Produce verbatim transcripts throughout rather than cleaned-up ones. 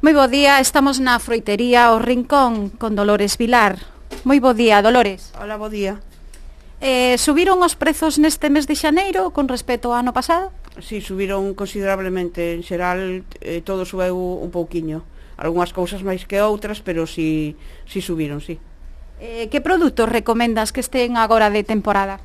Moi bo día, estamos na froitería O Rincón con Dolores Vilar. Moi bo día, Dolores. Hola, bo día. Eh, subiron os prezos neste mes de xaneiro con respecto ao ano pasado? Si, subiron considerablemente. En xeral, eh, todo subeu un pouquiño. Algúnas cousas máis que outras, pero si, si subiron, si. Eh, que produtos recomendas que estén agora de temporada?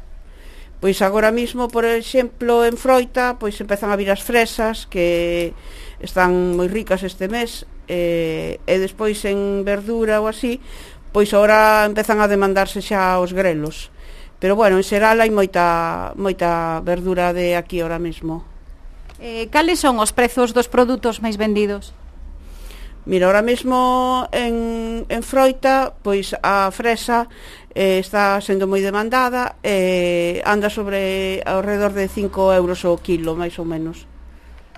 Pois agora mismo, por exemplo, en froita, pois empezan a vir as fresas, que están moi ricas este mes, eh, e despois en verdura ou así, pois agora empezan a demandarse xa os grelos. Pero bueno, en xeral hai moita, moita verdura de aquí ahora mismo. Eh, cales son os prezos dos produtos máis vendidos? Mira, ahora mesmo en, en froita, pois a fresa eh, está sendo moi demandada e eh, anda sobre ao redor de cinco euros o kilo, máis ou menos.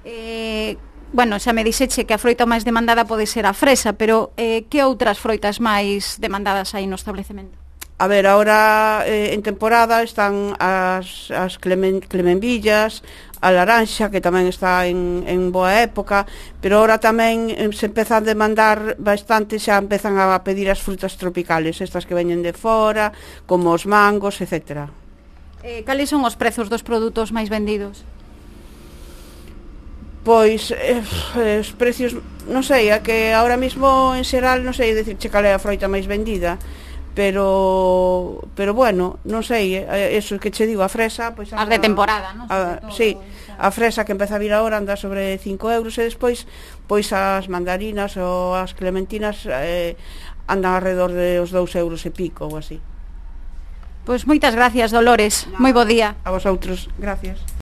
Eh, bueno, xa me dixeche que a froita máis demandada pode ser a fresa, pero eh, que outras froitas máis demandadas hai no establecemento? A ver, ahora eh, en temporada están as, as clemen, clemenvillas, a laranxa, que tamén está en, en boa época, pero ahora tamén eh, se empeza a demandar bastante, xa empezan a pedir as frutas tropicales, estas que veñen de fora, como os mangos, etcétera. Eh, cales son os prezos dos produtos máis vendidos? Pois, eh, os precios, non sei, é que ahora mismo en xeral non sei dicirche cal é a froita máis vendida, pero pero bueno, non sei, eso que che digo, a fresa, pois as de temporada, non? A, sí, a fresa que empeza a vir agora anda sobre cinco euros e despois pois as mandarinas ou as clementinas eh, andan alrededor de os dous euros e pico ou así. Pois moitas gracias, Dolores. Moi bo día. A vosotros, gracias.